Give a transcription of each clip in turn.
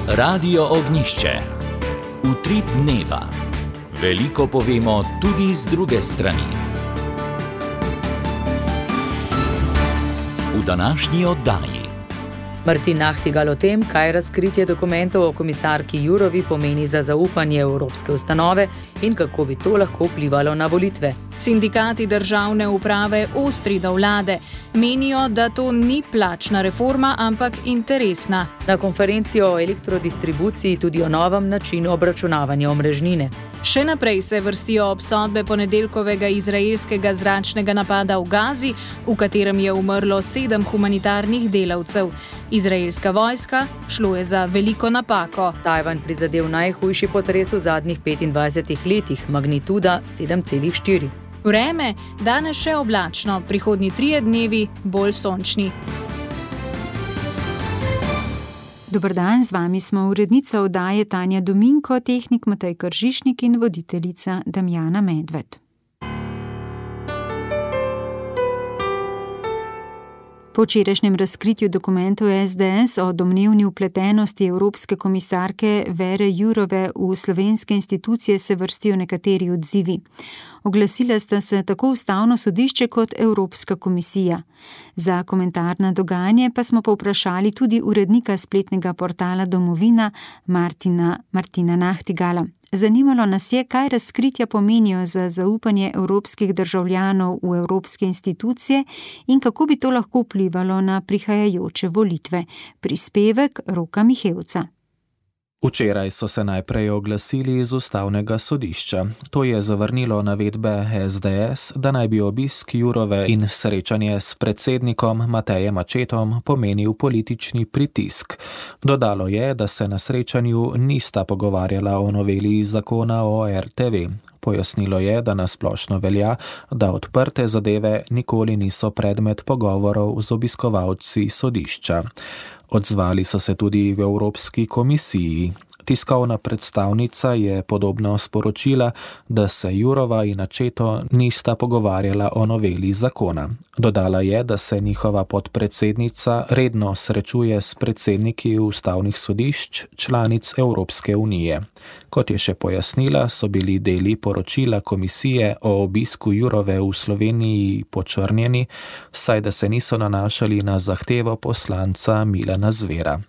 Radio Ognjišče. Utrip dneva. Veliko povemo tudi z druge strani. V današnji oddaji Martin Nahtigal o tem, kaj razkritje dokumentov o komisarki Jourovi pomeni za zaupanje evropske ustanove in kako bi to lahko vplivalo na volitve. Sindikati državne uprave ostri do vlade. Menijo, da to ni plačna reforma, ampak interesna. Na konferenci o elektrodistribuciji tudi o novem načinu obračunavanja omrežnine. Še naprej se vrstijo obsodbe ponedeljkovega izraelskega zračnega napada v Gazi, v katerem je umrlo 7 humanitarnih delavcev. Izraelska vojska, šlo je za veliko napako. Tajvan prizadel najhujši potres v zadnjih 25 letih, magnituda 7,4. Vreme, danes še oblačno, prihodnji 3 dnevi bolj sončni. Dober dan, z vami smo urednica oddaje Tanja Dominko, tehnik Matej Kržišnik in voditeljica Damjana Medved. Po včerajšnjem razkritju dokumentov SDS o domnevni vpletenosti evropske komisarke Vere Jourove v slovenske institucije se vrstijo nekateri odzivi. Oglasila sta se tako Ustavno sodišče kot Evropska komisija. Za komentar na dogajanje pa smo povprašali tudi urednika spletnega portala Domovina Martina Nahtigala. Zanimalo nas je, kaj razkritja pomenijo za zaupanje evropskih državljanov v evropske institucije in kako bi to lahko vplivalo na prihajajoče volitve. Prispevek Roka Mihevca. Včeraj so se najprej oglasili iz Ustavnega sodišča. To je zavrnilo navedbe SDS, da naj bi obisk Jourove in srečanje s predsednikom Matejem Accettom pomenil politični pritisk. Dodalo je, da se na srečanju nista pogovarjala o noveli zakona o RTV. Pojasnilo je, da nasplošno velja, da odprte zadeve nikoli niso predmet pogovorov z obiskovalci sodišča. Odzvali so se tudi v Evropski komisiji. Tiskovna predstavnica je podobno sporočila, da se Jourova in Accetto nista pogovarjala o noveli zakona. Dodala je, da se njihova podpredsednica redno srečuje s predsedniki ustavnih sodišč članic Evropske unije. Kot je še pojasnila, so bili deli poročila komisije o obisku Jourove v Sloveniji počrnjeni, saj da se niso nanašali na zahtevo poslanca Milana Zvera.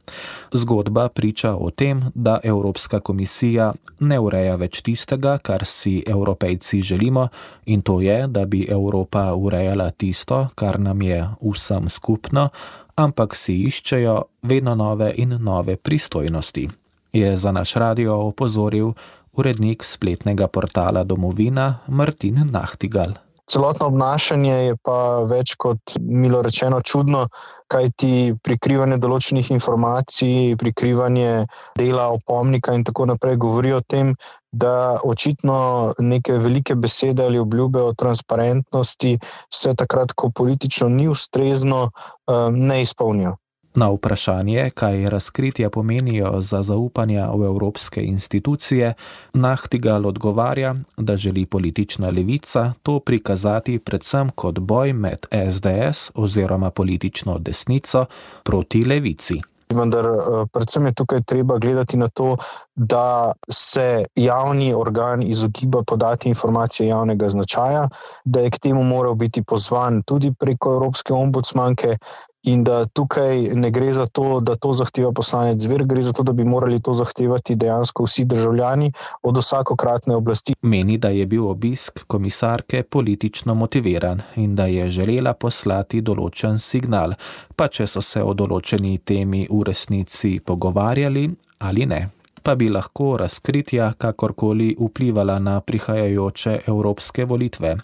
Zgodba priča o tem, da Evropska komisija ne ureja več tistega, kar si Evropejci želimo, in to je, da bi Evropa urejala tisto, kar nam je vsem skupno, ampak si iščejo vedno nove in nove pristojnosti, je za naš radio opozoril urednik spletnega portala Domovina Martin Nahtigal. Celotno obnašanje je pa več kot, milo rečeno, čudno, kajti prikrivanje določenih informacij, prikrivanje dela opomnika in tako naprej govori o tem, da očitno neke velike besede ali obljube o transparentnosti se takrat, ko politično ni ustrezno, ne izpolnijo. Na vprašanje, kaj razkritja pomenijo za zaupanje v evropske institucije, Nahtigal odgovarja, da želi politična levica to prikazati predvsem kot boj med SDS oziroma politično desnico proti levici. Vendar predvsem je tukaj treba gledati na to, da se javni organ izogiba podati informacije javnega značaja, da je k temu moral biti pozvan tudi preko Evropske ombudsmanke in da tukaj ne gre za to, da to zahteva poslanec Zver, gre za to, da bi morali to zahtevati dejansko vsi državljani od vsakokratne oblasti. Meni, da je bil obisk komisarke politično motiviran in da je želela poslati določen signal, pa če so se o določeni temi v resnici pogovarjali ali ne. Pa bi lahko razkritja kakorkoli vplivala na prihajajoče evropske volitve.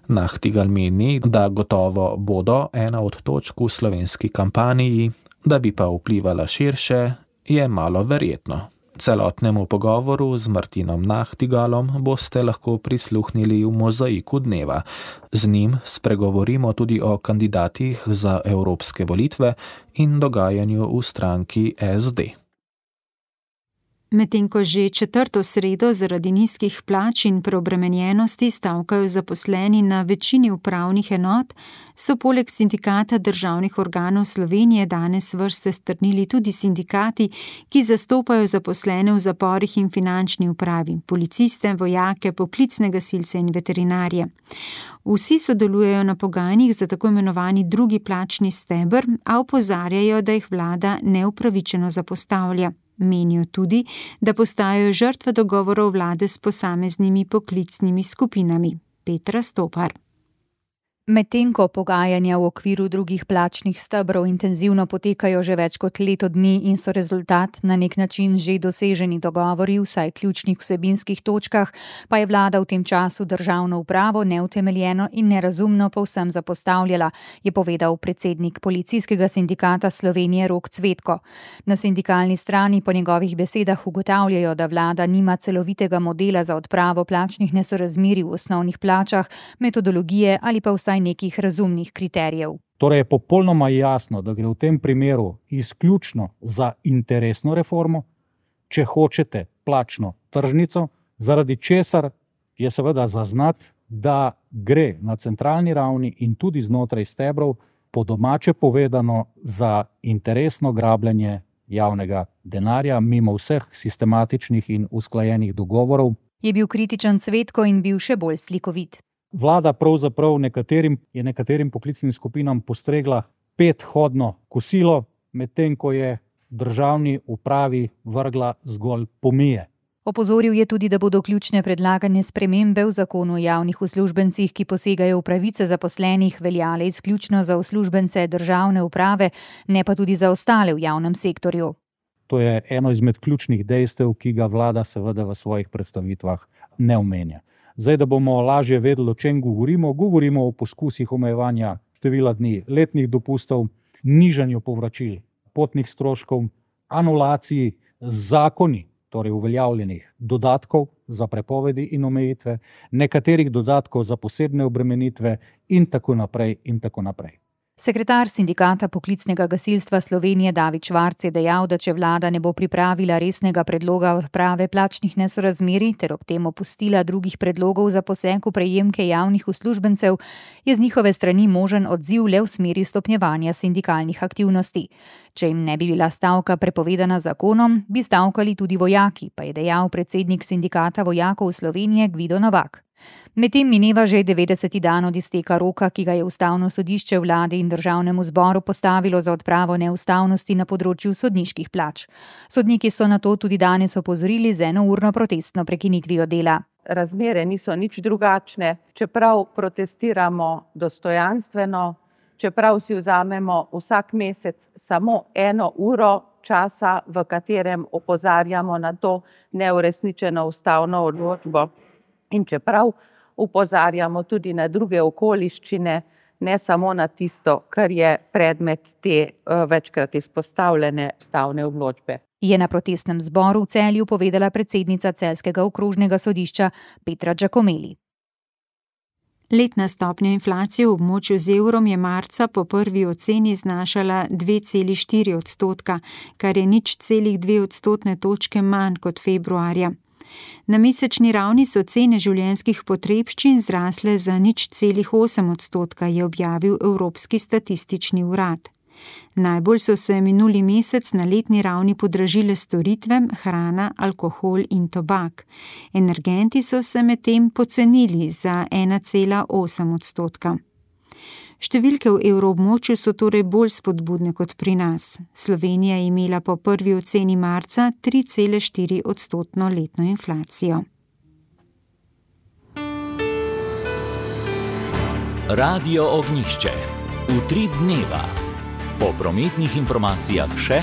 Nahtigal meni, da gotovo bodo ena od točk v slovenski kampanji, da bi pa vplivala širše, je malo verjetno. Celotnemu pogovoru z Martinom Nahtigalom boste lahko prisluhnili v Mozaiku dneva. Z njim spregovorimo tudi o kandidatih za evropske volitve in dogajanju v stranki SD. Medtem ko že četrto sredo zaradi nizkih plač in preobremenjenosti stavkajo zaposleni na večini upravnih enot, so poleg Sindikata državnih organov Slovenije danes vrste strnili tudi sindikati, ki zastopajo zaposlene v zaporih in finančni upravi, policiste, vojake, poklicne gasilce in veterinarje. Vsi sodelujejo na pogajanjih za tako imenovani drugi plačni steber, a opozarjajo, da jih vlada neupravičeno zapostavlja. Menijo tudi, da postajajo žrtve dogovorov vlade s posameznimi poklicnimi skupinami. Petra Stopar. Medtem ko pogajanja v okviru drugih plačnih stebrov intenzivno potekajo že več kot leto dni in so rezultat na nek način že doseženi dogovori, vsaj ključnih vsebinskih točkah, pa je vlada v tem času državno upravo neutemeljeno in nerazumno povsem zapostavljala, je povedal predsednik Policijskega sindikata Slovenije Rok Cvetko. Na sindikalni strani po njegovih besedah ugotavljajo, da vlada nima celovitega modela za odpravo plačnih nesorazmerij v osnovnih plačah, metodologije ali pa vsaj nekih razumnih kriterijev. Torej je popolnoma jasno, da gre v tem primeru izključno za interesno reformo, če hočete plačno tržnico, zaradi česar je seveda zaznati, da gre na centralni ravni in tudi znotraj stebrov po domače povedano za interesno grabljenje javnega denarja mimo vseh sistematičnih in usklajenih dogovorov. Je bil kritičen Cvetko in bil še bolj slikovit. Vlada pravzaprav nekaterim poklicnim skupinam postregla 5-hodno kosilo, medtem ko je državni upravi vrgla zgolj pomije. Opozoril je tudi, da bodo ključne predlagane spremembe v zakonu o javnih uslužbencih, ki posegajo v pravice zaposlenih, veljale izključno za uslužbence državne uprave, ne pa tudi za ostale v javnem sektorju. To je eno izmed ključnih dejstev, ki ga vlada seveda v svojih predstavitvah ne omenja. Zdaj, da bomo lažje vedeli, o čem govorimo o poskusih omejevanja števila dni letnih dopustov, nižanju povračil potnih stroškov, anulaciji zakoni, torej uveljavljenih dodatkov za prepovedi in omejitve, nekaterih dodatkov za posebne obremenitve in tako naprej in tako naprej. Sekretar Sindikata poklicnega gasilstva Slovenije David Švarc je dejal, da če vlada ne bo pripravila resnega predloga odprave plačnih nesorazmerij ter ob tem opustila drugih predlogov za poseg v prejemke javnih uslužbencev, je z njihove strani možen odziv le v smeri stopnjevanja sindikalnih aktivnosti. Če jim ne bi bila stavka prepovedana zakonom, bi stavkali tudi vojaki, pa je dejal predsednik Sindikata vojakov Slovenije Gvido Novak. Medtem mineva že 90. dan od izteka roka, ki ga je Ustavno sodišče vladi in državnemu zboru postavilo za odpravo neustavnosti na področju sodniških plač. Sodniki so na to tudi danes opozorili z enourno protestno prekinitvijo dela. Razmere niso nič drugačne, čeprav protestiramo dostojanstveno, čeprav si vzamemo vsak mesec samo 1 uro časa, v katerem opozarjamo na to neuresničeno ustavno odločbo. In čeprav opozarjamo tudi na druge okoliščine, ne samo na tisto, kar je predmet te večkrat izpostavljene ustavne odločbe. Je na protestnem zboru v Celju povedala predsednica Celjskega okrožnega sodišča Petra Giacomelli. Letna stopnja inflacije v območju z evrom je marca po prvi oceni znašala 2,4%, kar je 0,2 odstotne točke manj kot februarja. Na mesečni ravni so cene življenjskih potrebščin zrasle za 0,8%, je objavil Evropski statistični urad. Najbolj so se minuli mesec na letni ravni podražile storitve, hrana, alkohol in tobak. Energenti so se medtem pocenili za 1,8%. Številke v evroobmočju so torej bolj spodbudne kot pri nas. Slovenija je imela po prvi oceni marca 3,4% letno inflacijo. Radio Ognjišče. Utrip dneva. Po prometnih informacijah še.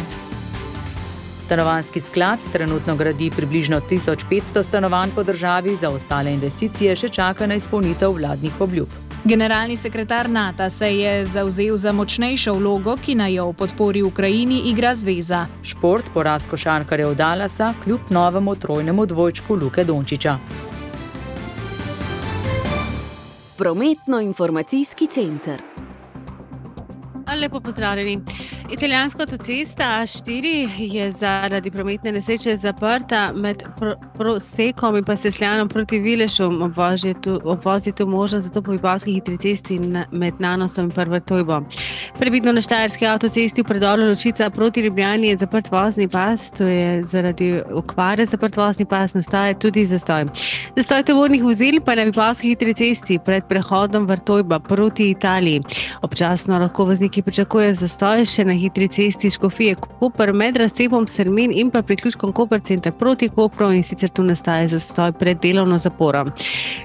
Stanovanjski sklad trenutno gradi približno 1500 stanovanj po državi, za ostale investicije še čaka na izpolnitev vladnih obljub. Generalni sekretar NATO se je zavzel za močnejšo vlogo, ki naj jo v podpori Ukrajini igra zveza. Šport, poraz košarkarjev Dallasa kljub novemu trojnemu dvojčku Luke Dončića. Prometno-informacijski center. Lepo pozdravljeni. Italijanska avtocesta A4 je zaradi prometne nesreče zaprta med Prosekom in pa Sesljanom proti Vilešu. Obvoz je tu možen, zato po Vipavski hitri cesti med Nanosom in Vrtojbo. Previdno na Štajerski avtocesti v predoru Ločica proti Ljubljani je zaprt vozni pas, to je zaradi okvare zaprt vozni pas, nastaja tudi zastoj. Zastoj tovornih vozil pa na Vipavski hitri cesti pred prehodom Vrtojba proti Italiji. Občasno lahko vozniki pričakujejo zastoj še na hitri cesti Škofije Koper med razcepom Sermin in pa priključkom Koper center proti Kopru, in sicer tu nastaja zastoj pred delovno zaporo.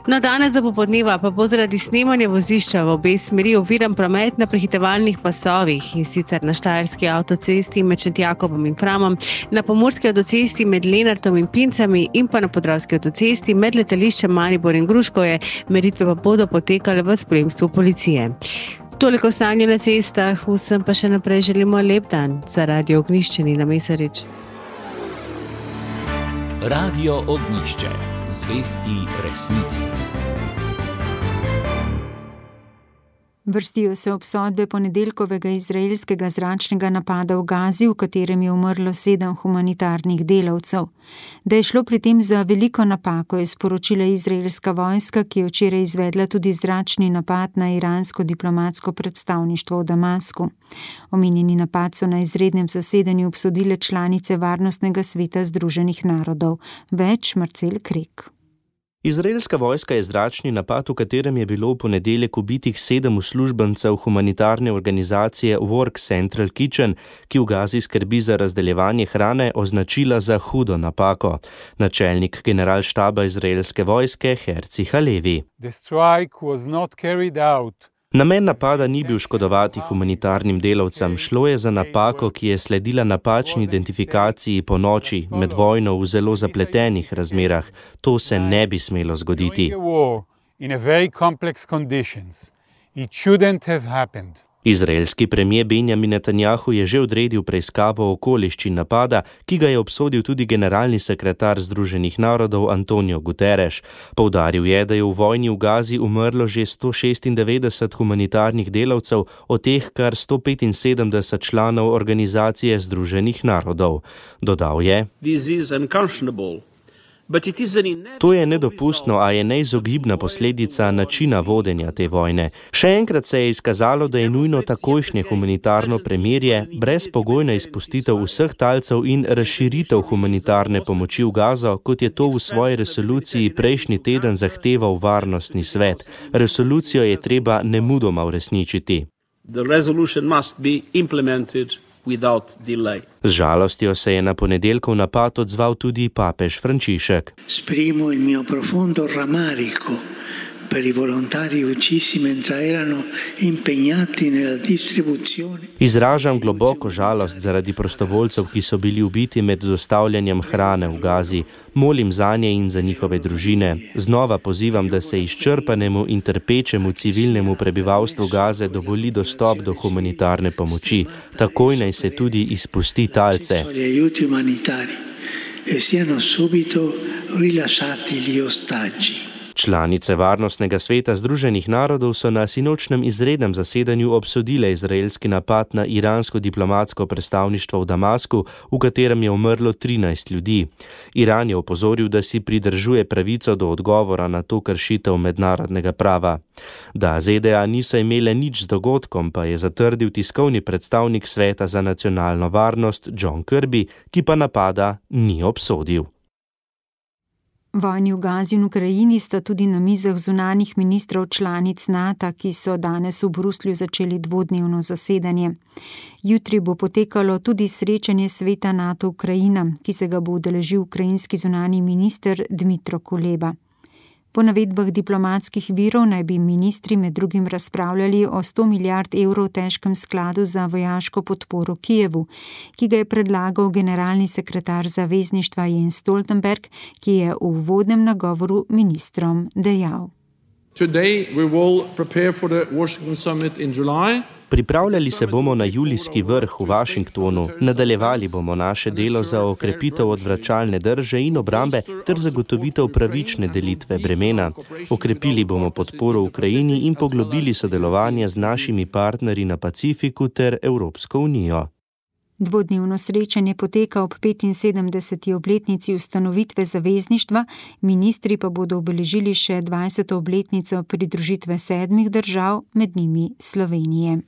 No, danes do popoldneva pa bo zaradi snemanja vozišča v obe smeri oviran promet na prehitevalnih pasovih, in sicer na Štajerski avtocesti med Šentjakobom in Framom, na Pomurski avtocesti med Lenartom in Pincami in pa na Podravski avtocesti med letališčem Maribor in Gruškovje. Meritve pa bodo potekale v spremstvu policije. Toliko stanje na cestah, vsem pa še naprej želimo lep dan. Za Radio Ognjišče Nina Mesarič. Radio Ognjišče, zvesti resnici. Vrstijo se obsodbe ponedeljkovega izraelskega zračnega napada v Gazi, v katerem je umrlo 7 humanitarnih delavcev. Da je šlo pri tem za veliko napako, je sporočila izraelska vojska, ki je včeraj izvedla tudi zračni napad na iransko diplomatsko predstavništvo v Damasku. Omenjeni napad so na izrednem zasedanju obsodile članice Varnostnega sveta Združenih narodov. Več Marcel Krek. Izraelska vojska je zračni napad, v katerem je bilo v ponedeljek ubitih 7 uslužbencev humanitarne organizacije Work Central Kitchen, ki v Gazi skrbi za razdeljevanje hrane, označila za hudo napako. Načelnik generalštaba izraelske vojske Herzi Halevi. Namen napada ni bil škodovati humanitarnim delavcem, šlo je za napako, ki je sledila napačni identifikaciji po noči med vojno v zelo zapletenih razmerah. To se ne bi smelo zgoditi. Izraelski premier Benjamin Netanjahu je že odredil preiskavo okoliščin napada, ki ga je obsodil tudi generalni sekretar Združenih narodov Antonio Guterres. Poudaril je, da je v vojni v Gazi umrlo že 196 humanitarnih delavcev, od teh kar 175 članov organizacije Združenih narodov. Dodal je: To je nedopustno, a je neizogibna posledica načina vodenja te vojne. Še enkrat se je izkazalo, da je nujno takojšnje humanitarno premirje, brezpogojna izpustitev vseh talcev in razširitev humanitarne pomoči v Gazo, kot je to v svoji resoluciji prejšnji teden zahteval Varnostni svet. Resolucijo je treba nemudoma uresničiti. Z žalostjo se je na ponedeljkov napad odzval tudi papež Frančišek. Esprimo il mio profondo rammarico per i volontari uccisi mentre erano impegnati nella distribuzione. Izražam globoko žalost zaradi prostovoljcev, ki so bili ubiti med dostavljanjem hrane v Gazi. Molim zanje in za njihove družine. Znova pozivam, da se izčrpanemu in trpečemu civilnemu prebivalstvu Gaze dovoli dostop do humanitarne pomoči. Takoj naj se tudi izpusti talce. Članice Varnostnega sveta Združenih narodov so na sinočnem izrednem zasedanju obsodile izraelski napad na iransko diplomatsko predstavništvo v Damasku, v katerem je umrlo 13 ljudi. Iran je opozoril, da si pridržuje pravico do odgovora na to kršitev mednarodnega prava. Da ZDA niso imele nič z dogodkom, pa je zatrdil tiskovni predstavnik Sveta za nacionalno varnost John Kirby, ki pa napada ni obsodil. Vojni v Gazi in Ukrajini sta tudi na mizah zunanjih ministrov članic NATO, ki so danes v Bruslju začeli dvodnevno zasedanje. Jutri bo potekalo tudi srečanje sveta NATO Ukrajina, ki se ga bo udeležil ukrajinski zunanji minister Dmytro Kuleba. Po navedbah diplomatskih virov naj bi ministri med drugim razpravljali o 100 milijard evrov težkem skladu za vojaško podporo Kijevu, ki ga je predlagal generalni sekretar zavezništva Jens Stoltenberg, ki je v uvodnem nagovoru ministrom dejal. Today we will prepare for the Washington summit in July Pripravljali se bomo na julijski vrh v Washingtonu, nadaljevali bomo naše delo za okrepitev odvračalne drže in obrambe ter zagotovitev pravične delitve bremena. Okrepili bomo podporo Ukrajini in poglobili sodelovanje z našimi partnerji na Pacifiku ter Evropsko unijo. Dvodnevno srečanje poteka ob 75. obletnici ustanovitve zavezništva, ministri pa bodo obeležili še 20. obletnico pridružitve 7 držav, med njimi Slovenije.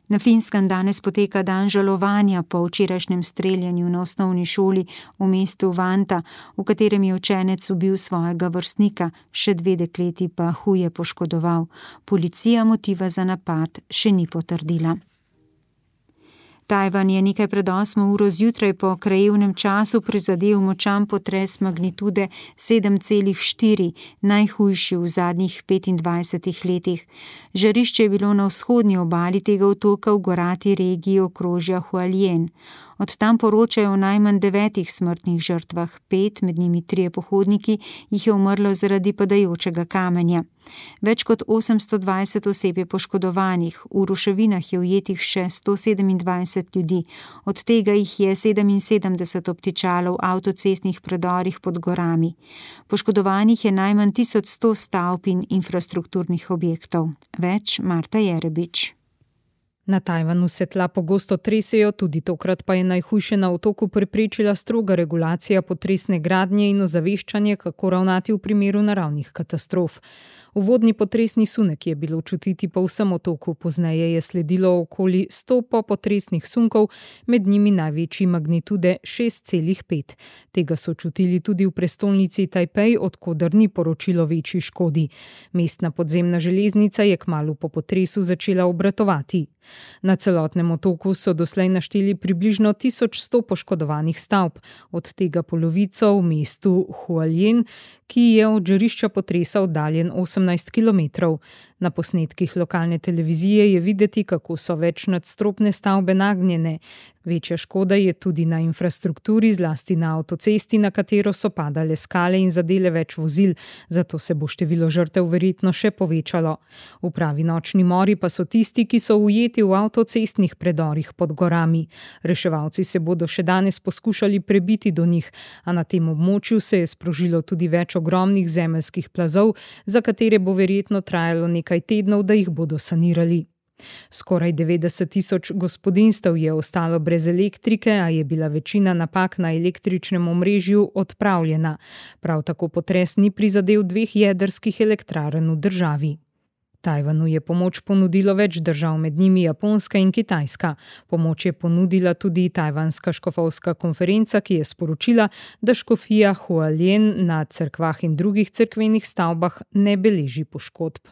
Na Finskem danes poteka dan žalovanja po včerajšnjem streljanju na osnovni šoli v mestu Vanta, v katerem je učenec ubil svojega vrstnika, še 2 dekleti pa huje poškodoval. Policija motiva za napad še ni potrdila. Tajvan je nekaj pred 8 uro zjutraj po krajevnem času prizadel močan potres magnitude 7,4, najhujši v zadnjih 25 letih. Žarišče je bilo na vzhodni obali tega otoka v gorati regiji okrožja Hualien. Od tam poročajo o najmanj 9 smrtnih žrtvah, 5, med njimi 3 pohodniki, jih je umrlo zaradi padajočega kamenja. Več kot 820 oseb je poškodovanih, v ruševinah je ujetih še 127 ljudi, od tega jih je 77 obtičalo v avtocestnih predorih pod gorami. Poškodovanih je najmanj 1100 stavb in infrastrukturnih objektov. Več Marta Jerebič. Na Tajvanu se tla pogosto tresejo, tudi tokrat pa je najhujše na otoku preprečila stroga regulacija potresne gradnje in ozaveščanje, kako ravnati v primeru naravnih katastrof. Uvodni potresni sunek je bilo čutiti po vsem otoku, pozneje je sledilo okoli 100 popotresnih sunkov, med njimi največji magnitude 6,5. Tega so čutili tudi v prestolnici Tajpej, od koder ni poročilo večji škodi. Mestna podzemna železnica je kmalu po potresu začela obratovati. Na celotnem otoku so doslej našteli približno 1100 poškodovanih stavb, od tega polovico v mestu Hualien, ki je od žarišča potresa oddaljen 18 km. Na posnetkih lokalne televizije je videti, kako so večnadstropne stavbe nagnjene. Večja škoda je tudi na infrastrukturi, zlasti na avtocesti, na katero so padale skale in zadele več vozil, zato se bo število žrtev verjetno še povečalo. V pravi nočni mori pa so tisti, ki so ujeti v avtocestnih predorih pod gorami. Reševalci se bodo še danes poskušali prebiti do njih, a na tem območju se je sprožilo tudi več ogromnih zemeljskih plazov, za katere bo verjetno trajalo nekaj tednov, da jih bodo sanirali. Skoraj 90 000 gospodinjstev je ostalo brez elektrike, a je bila večina napak na električnem omrežju odpravljena. Prav tako potres ni prizadel 2 jedrskih elektrarn v državi. Tajvanu je pomoč ponudilo več držav, med njimi Japonska in Kitajska. Pomoč je ponudila tudi Tajvanska škofovska konferenca, ki je sporočila, da škofija Hualien na cerkvah in drugih cerkvenih stavbah ne beleži poškodb.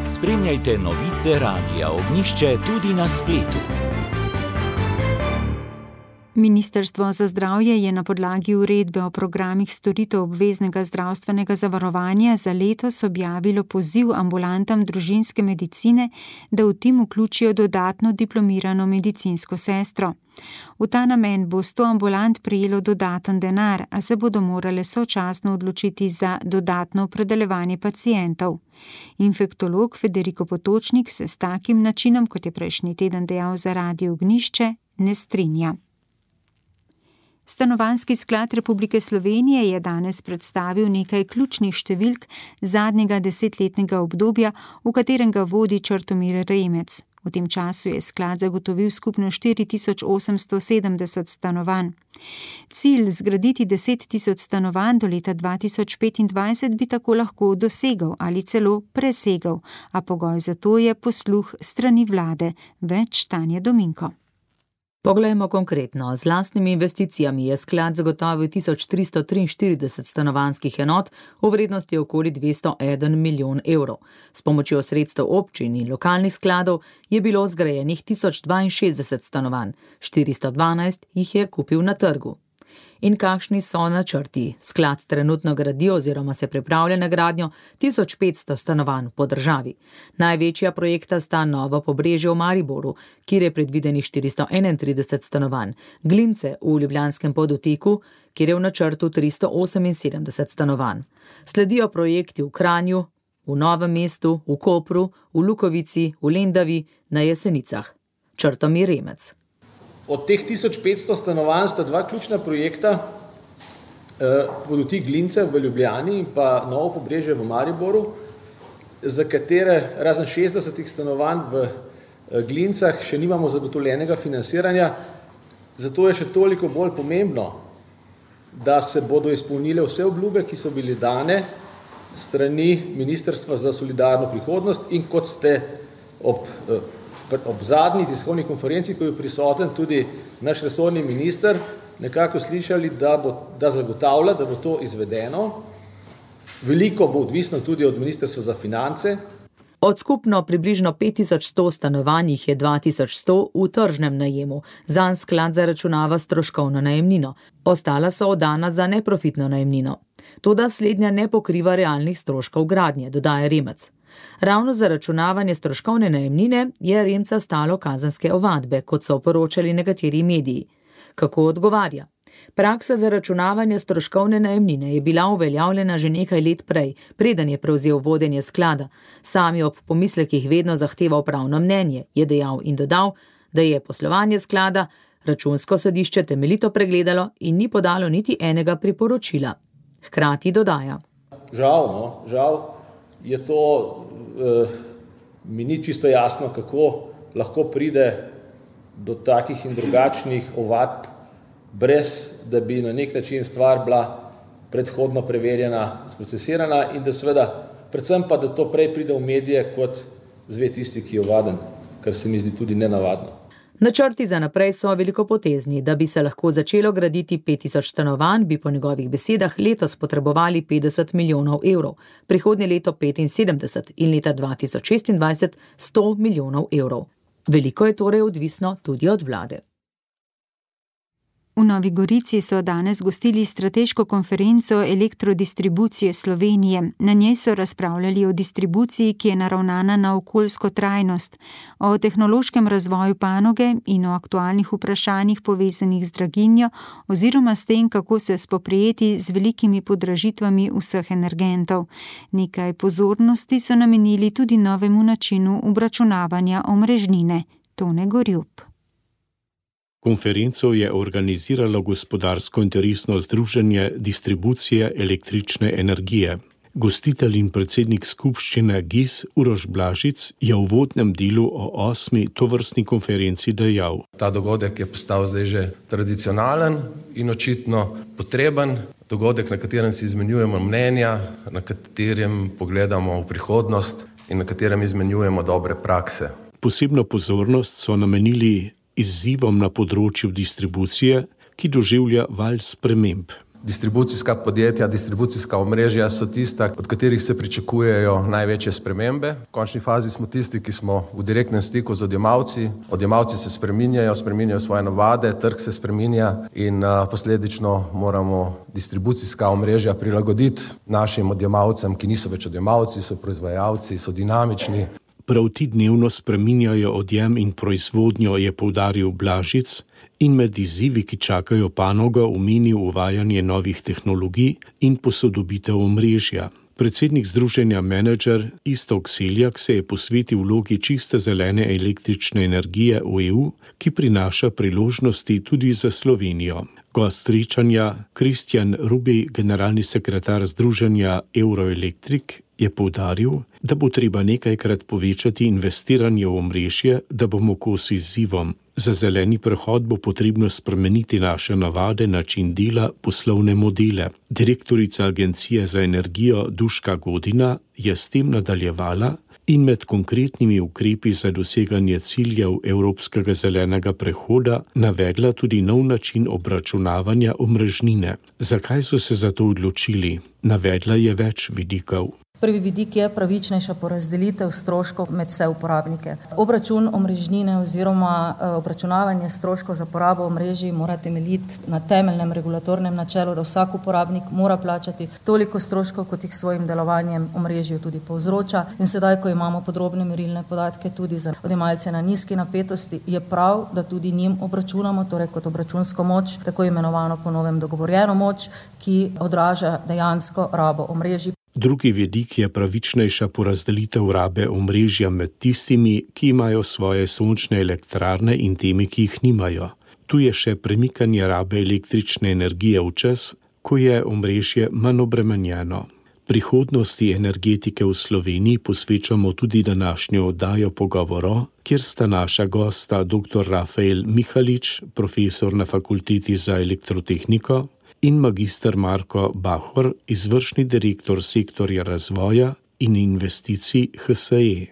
Spremljajte novice Radia Ognjišče tudi na spletu. Ministrstvo za zdravje je na podlagi uredbe o programih storitev obveznega zdravstvenega zavarovanja za letos objavilo poziv ambulantam družinske medicine, da v tim vključijo dodatno diplomirano medicinsko sestro. V ta namen bo 100 ambulant prejelo dodaten denar, a se bodo morale sočasno odločiti za dodatno opredeljevanje pacientov. Infektolog Federico Potočnik se s takim načinom, kot je prejšnji teden dejal za Radio Ognjišče, ne strinja. Stanovanjski sklad Republike Slovenije je danes predstavil nekaj ključnih številk zadnjega 10-letnega obdobja, v katerem ga vodi Črtomir Remec. V tem času je sklad zagotovil skupno 4870 stanovanj. Cilj zgraditi 10 000 stanovanj do leta 2025 bi tako lahko dosegal ali celo presegal, a pogoj za to je posluh strani vlade. Več Tanja Dominko. Poglejmo konkretno. Z lastnimi investicijami je sklad zagotovil 1343 stanovanjskih enot v vrednosti okoli 201 milijon evrov. S pomočjo sredstev občin in lokalnih skladov je bilo zgrajenih 1062 stanovanj, 412 jih je kupil na trgu. In kakšni so načrti? Sklad trenutno gradi oziroma se pripravlja na gradnjo 1500 stanovanj po državi. Največja projekta sta Novo Pobrežje v Mariboru, kjer je predvidenih 431 stanovanj, Glince v Ljubljanskem Podoteku, kjer je v načrtu 378 stanovanj. Sledijo projekti v Kranju, v Novem mestu, v Kopru, v Lukovici, v Lendavi, na Jesenicah. Črtomir Remec. Od teh 1500 stanovanj sta dva ključna projekta, Podotik Glince v Ljubljani in pa Novo Pobrežje v Mariboru, za katere razen 60 stanovanj v Glincah še nimamo zagotovljenega financiranja. Zato je še toliko bolj pomembno, da se bodo izpolnile vse obljube, ki so bile dane strani Ministrstva za solidarno prihodnost in kot ste ob zadnji tiskovni konferenci, ko je prisoten tudi naš resorni minister, nekako slišali, da zagotavlja, da bo to izvedeno. Veliko bo odvisno tudi od Ministrstva za finance. Od skupno približno 5100 stanovanj jih je 2100 v tržnem najemu. Zanj sklad zaračunava stroškovno najemnino. Ostala so oddana za neprofitno najemnino. Toda slednja ne pokriva realnih stroškov gradnje, dodaja Remec. Ravno zaračunavanje stroškovne najemnine je Remca stalo kazenske ovadbe, kot so poročali nekateri mediji. Kako odgovarja? Praksa zaračunavanja stroškovne najemnine je bila uveljavljena že nekaj let prej, preden je prevzel vodenje sklada. Sam je ob pomislekih vedno zahteval pravno mnenje, je dejal in dodal, da je poslovanje sklada Računsko sodišče temeljito pregledalo in ni podalo niti enega priporočila. Hkrati dodaja. Žal je to, mi ni čisto jasno, kako lahko pride do takih in drugačnih ovadb, brez da bi na nek način stvar bila predhodno preverjena, sprocesirana in da seveda, predvsem pa, da to prej pride v medije, kot zve tisti, ki je ovaden, kar se mi zdi tudi nenavadno. Načrti za naprej so velikopotezni. Da bi se lahko začelo graditi 5000 stanovanj, bi po njegovih besedah letos potrebovali 50 milijonov evrov, prihodnje leto 75 in leta 2026 100 milijonov evrov. Veliko je torej odvisno tudi od vlade. V Novi Gorici so danes gostili strateško konferenco elektrodistribucije Slovenije. Na njej so razpravljali o distribuciji, ki je naravnana na okoljsko trajnost, o tehnološkem razvoju panoge in o aktualnih vprašanjih povezanih z draginjo oziroma s tem, kako se spoprijeti z velikimi podražitvami vseh energentov. Nekaj pozornosti so namenili tudi novemu načinu obračunavanja omrežnine. Tone Gorjup. Konferenco je organiziralo gospodarsko interesno združenje distribucije električne energije. Gostitelj in predsednik skupščine GIS Uroš Blažic je v uvodnem delu o 8. tovrstni konferenci dejal. Ta dogodek je postal zdaj že tradicionalen in očitno potreben. Dogodek, na katerem si izmenjujemo mnenja, na katerem pogledamo v prihodnost in na katerem izmenjujemo dobre prakse. Posebno pozornost so namenili izzivom na področju distribucije, ki doživlja val sprememb. Distribucijska podjetja, distribucijska omrežja so tista, od katerih se pričakujejo največje spremembe. V končni fazi smo tisti, ki smo v direktnem stiku z odjemalci. Odjemalci se spreminjajo svoje navade, trg se spreminja in posledično moramo distribucijska omrežja prilagoditi našim odjemalcem, ki niso več odjemalci, so proizvajalci, so dinamični. Prav ti dnevno spreminjajo odjem in proizvodnjo, je poudaril Blažic, in med izzivi, ki čakajo panogo, omenil uvajanje novih tehnologij in posodobitev omrežja. Predsednik združenja Menedžer Iztok Seljak se je posvetil vlogi čiste zelene električne energije v EU, ki prinaša priložnosti tudi za Slovenijo. Gost srečanja Kristjan Rubi, generalni sekretar združenja Euroelektrik, je poudaril, da bo treba nekajkrat povečati investiranje v omrežje, da bomo kos izzivom. Za zeleni prehod bo potrebno spremeniti naše navade, način dela, poslovne modele. Direktorica Agencije za energijo Duška Godina je s tem nadaljevala in med konkretnimi ukrepi za doseganje ciljev evropskega zelenega prehoda navedla tudi nov način obračunavanja omrežnine. Zakaj so se za to odločili? Navedla je več vidikov. Prvi vidik je pravičnejša porazdelitev stroškov med vse uporabnike. Obračun omrežnine oziroma obračunavanje stroškov za porabo omrežij mora temeljiti na temeljnem regulatornem načelu, da vsak uporabnik mora plačati toliko stroškov, kot jih svojim delovanjem omrežju tudi povzroča. In sedaj, ko imamo podrobne merilne podatke tudi za odjemalce na nizki napetosti, je prav, da tudi njim obračunamo, torej kot obračunsko moč, tako imenovano po novem dogovorjeno moč, ki odraža dejansko rabo omrežij. Drugi vidik je pravičnejša porazdelitev rabe omrežja med tistimi, ki imajo svoje sončne elektrarne in temi, ki jih nimajo. Tu je še premikanje rabe električne energije v čas, ko je omrežje manj obremenjeno. Prihodnosti energetike v Sloveniji posvečamo tudi današnjo oddajo Pogovoro, kjer sta naša gosta dr. Rafael Mihalič, profesor na Fakulteti za elektrotehniko, in magister Marko Bahor, izvršni direktor sektorja razvoja in investicij HSE.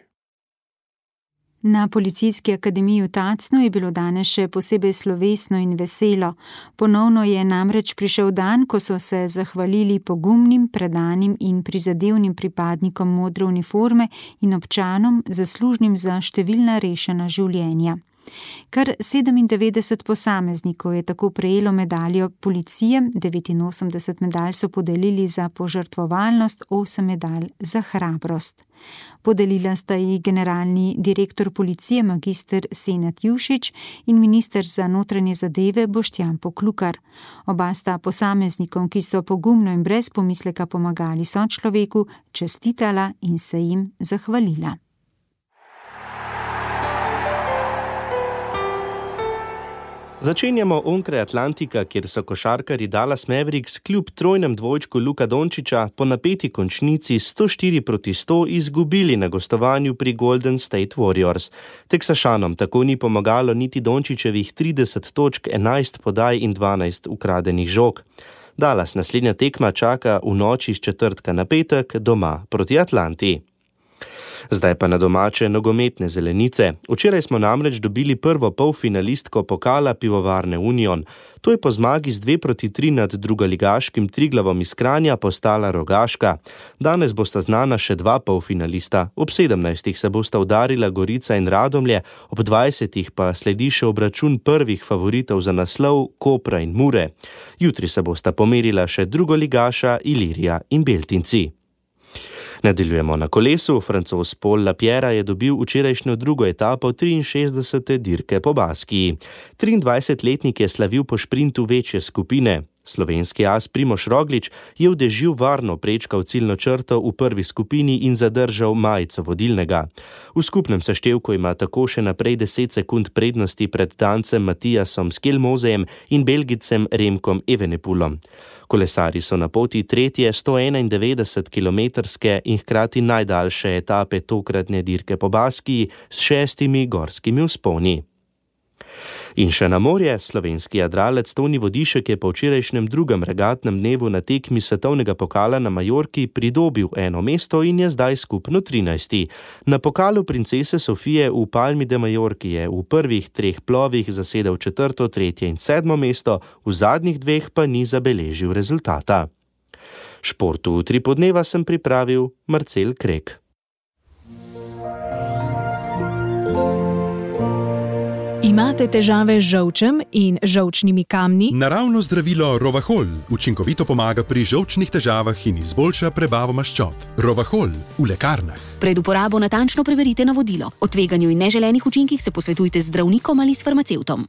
Na Policijski akademiji v Tacnu je bilo danes še posebej slovesno in veselo. Ponovno je namreč prišel dan, ko so se zahvalili pogumnim, predanim in prizadevnim pripadnikom modre uniforme in občanom, zaslužnim za številna rešena življenja. Kar 97 posameznikov je tako prejelo medaljo policije, 89 medalj so podelili za požrtvovalnost, 8 medalj za hrabrost. Podelila sta ji generalni direktor policije magister Senad Jušić in minister za notranje zadeve Boštjan Poklukar. Oba sta posameznikom, ki so pogumno in brez pomisleka pomagali sočloveku, čestitala in se jim zahvalila. Začenjamo onkraj Atlantika, kjer so košarkarji Dallas Mavericks kljub trojnem dvojčku Luka Dončića po napeti končnici 104-100 izgubili na gostovanju pri Golden State Warriors. Teksašanom tako ni pomagalo niti Dončićevih 30 točk, 11 podaj in 12 ukradenih žog. Dallas naslednja tekma čaka v noči z četrtka na petek doma proti Atlanti. Zdaj pa na domače nogometne zelenice. Včeraj smo namreč dobili prvo polfinalistko pokala Pivovarne Union. To je po zmagi z 2-3 nad drugoligaškim Triglavom iz Kranja postala Rogaška. Danes bosta znana še dva polfinalista. Ob 17. se bosta udarila Gorica in Radomlje, ob 20. pa sledi še obračun prvih favoritov za naslov Kopra in Mure. Jutri se bosta pomerila še drugoligaša Ilirija in Beltinci. Nadaljujemo na kolesu. Francoz Paul Lapierre je dobil včerajšnjo drugo etapo 63. dirke po Baskiji. 23-letnik je slavil po šprintu večje skupine. Slovenski as Primož Roglič je v dežju varno prečkal ciljno črto v prvi skupini in zadržal majico vodilnega. V skupnem seštevku ima tako še naprej 10 sekund prednosti pred Dancem Matijasom Skelmozejem in Belgicem Remkom Evenepoelom. Kolesari so na poti tretje 191-kilometrske in hkrati najdaljše etape tokratne dirke po Baskiji s 6 gorskimi vzponi. In še na morje, slovenski jadralec Toni Vodišek je po včerajšnjem drugem regatnem dnevu na tekmi svetovnega pokala na Majorki pridobil eno mesto in je zdaj skupno 13. Na pokalu princese Sofije v Palmi de Majorki je v prvih 3 plovih zasedel 4., 3. in 7. mesto, v zadnjih 2 pa ni zabeležil rezultata. Športu v 3 podneva sem pripravil Marcel Krek. Imate težave z žolčem in žolčnimi kamni? Naravno zdravilo Rovahol učinkovito pomaga pri žolčnih težavah in izboljša prebavo maščob. Rovahol v lekarnah. Pred uporabo natančno preverite navodilo. O tveganju in neželenih učinkih se posvetujte z zdravnikom ali s farmacevtom.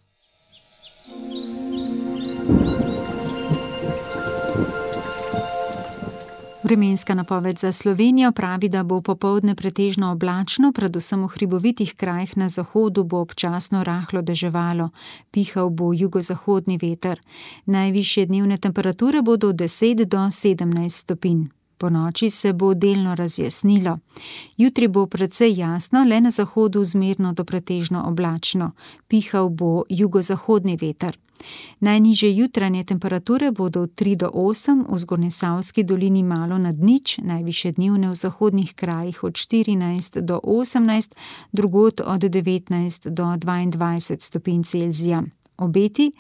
Vremenska napoved za Slovenijo pravi, da bo popoldne pretežno oblačno, predvsem v hribovitih krajih na zahodu bo občasno rahlo deževalo. Pihal bo jugozahodni veter. Najvišje dnevne temperature bodo od 10 do 17 stopinj. Po noči se bo delno razjasnilo. Jutri bo precej jasno, le na zahodu zmerno do pretežno oblačno. Pihal bo jugozahodni veter. Najnižje jutranje temperature bodo od 3 do 8, v Zgornjesavski dolini malo nad nič, najvišje dnevne v zahodnih krajih od 14 do 18, drugod od 19 do 22 stopinj Celzija. Obeti.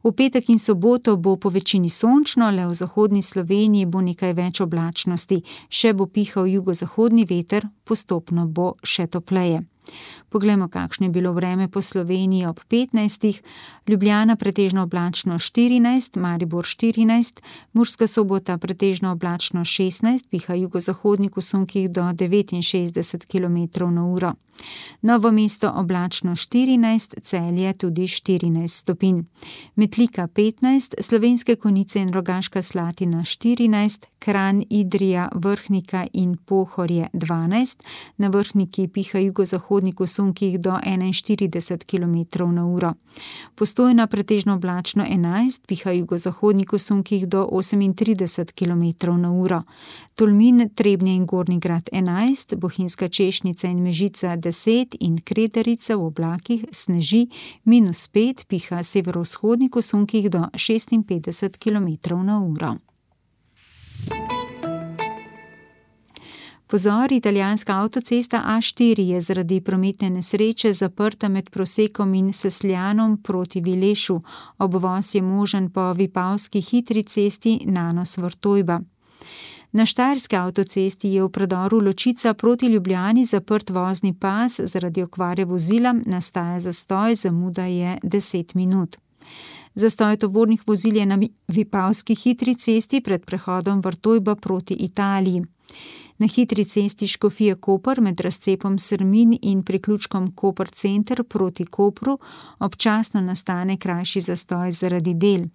V petek in soboto bo po večini sončno, le v zahodni Sloveniji bo nekaj več oblačnosti, še bo pihal jugozahodni veter, postopno bo še topleje. Poglejmo, kakšno je bilo vreme po Sloveniji ob 15. Ljubljana pretežno oblačno 14, Maribor 14, Murska Sobota pretežno oblačno 16, piha jugozahodnik v sunkih do 69 km/h. Novo mesto oblačno 14, Celje tudi 14 stopinj. Metlika 15, Slovenske Konjice in Rogaška Slatina 14, Kranj, Idrija, Vrhnika in Pohorje 12, na Vrhniki piha jugozahodnik v sunkih do 41 km/h. Postojna pretežno oblačno 11, piha jugozahodnik v sunkih do 38 km/h. Tolmin, Trebnje in Gornji Grad 11, Bohinjska Češnica in Mežica 10 in Kredarica v oblakih sneži -5, piha severovzhodnik v sunkih do 56 km/h. Pozor, italijanska avtocesta A4 je zaradi prometne nesreče zaprta med Prosekom in Sesljanom proti Vilešu. Obvoz je možen po vipavski hitri cesti Nanos-Vrtojba. Na štajerski avtocesti je v predoru Ločica proti Ljubljani zaprt vozni pas, zaradi okvare vozila nastaja zastoj, zamuda je 10 minut. Zastoj tovornih vozil je na vipavski hitri cesti pred prehodom Vrtojba proti Italiji. Na hitri cesti Škofije-Koper med razcepom Srmin in priključkom Koper center proti Kopru občasno nastane krajši zastoj zaradi del.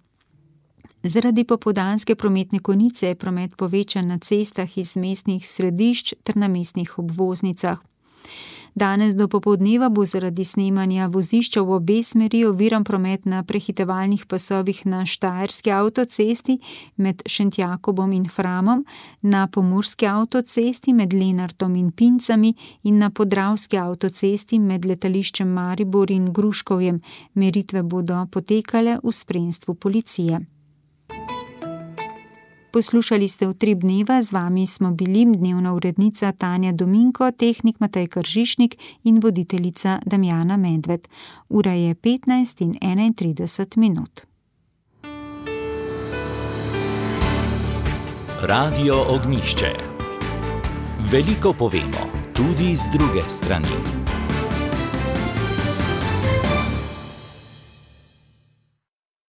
Zaradi popoldanske prometne konice je promet povečan na cestah iz mestnih središč ter na mestnih obvoznicah. Danes do popoldneva bo zaradi snemanja vozišča v obe smeri oviran promet na prehitevalnih pasovih na štajerski avtocesti med Šentjakobom in Framom, na pomurski avtocesti med Lenartom in Pincami in na podravski avtocesti med letališčem Maribor in Gruškovjem. Meritve bodo potekale v spremstvu policije. Poslušali ste Utrip dneva, z vami smo bili dnevna urednica Tanja Dominko, tehnik Matej Kržišnik in voditeljica Damjana Medved. Ura je 15:31. Radio Ognjišče. Veliko povemo, tudi z druge strani.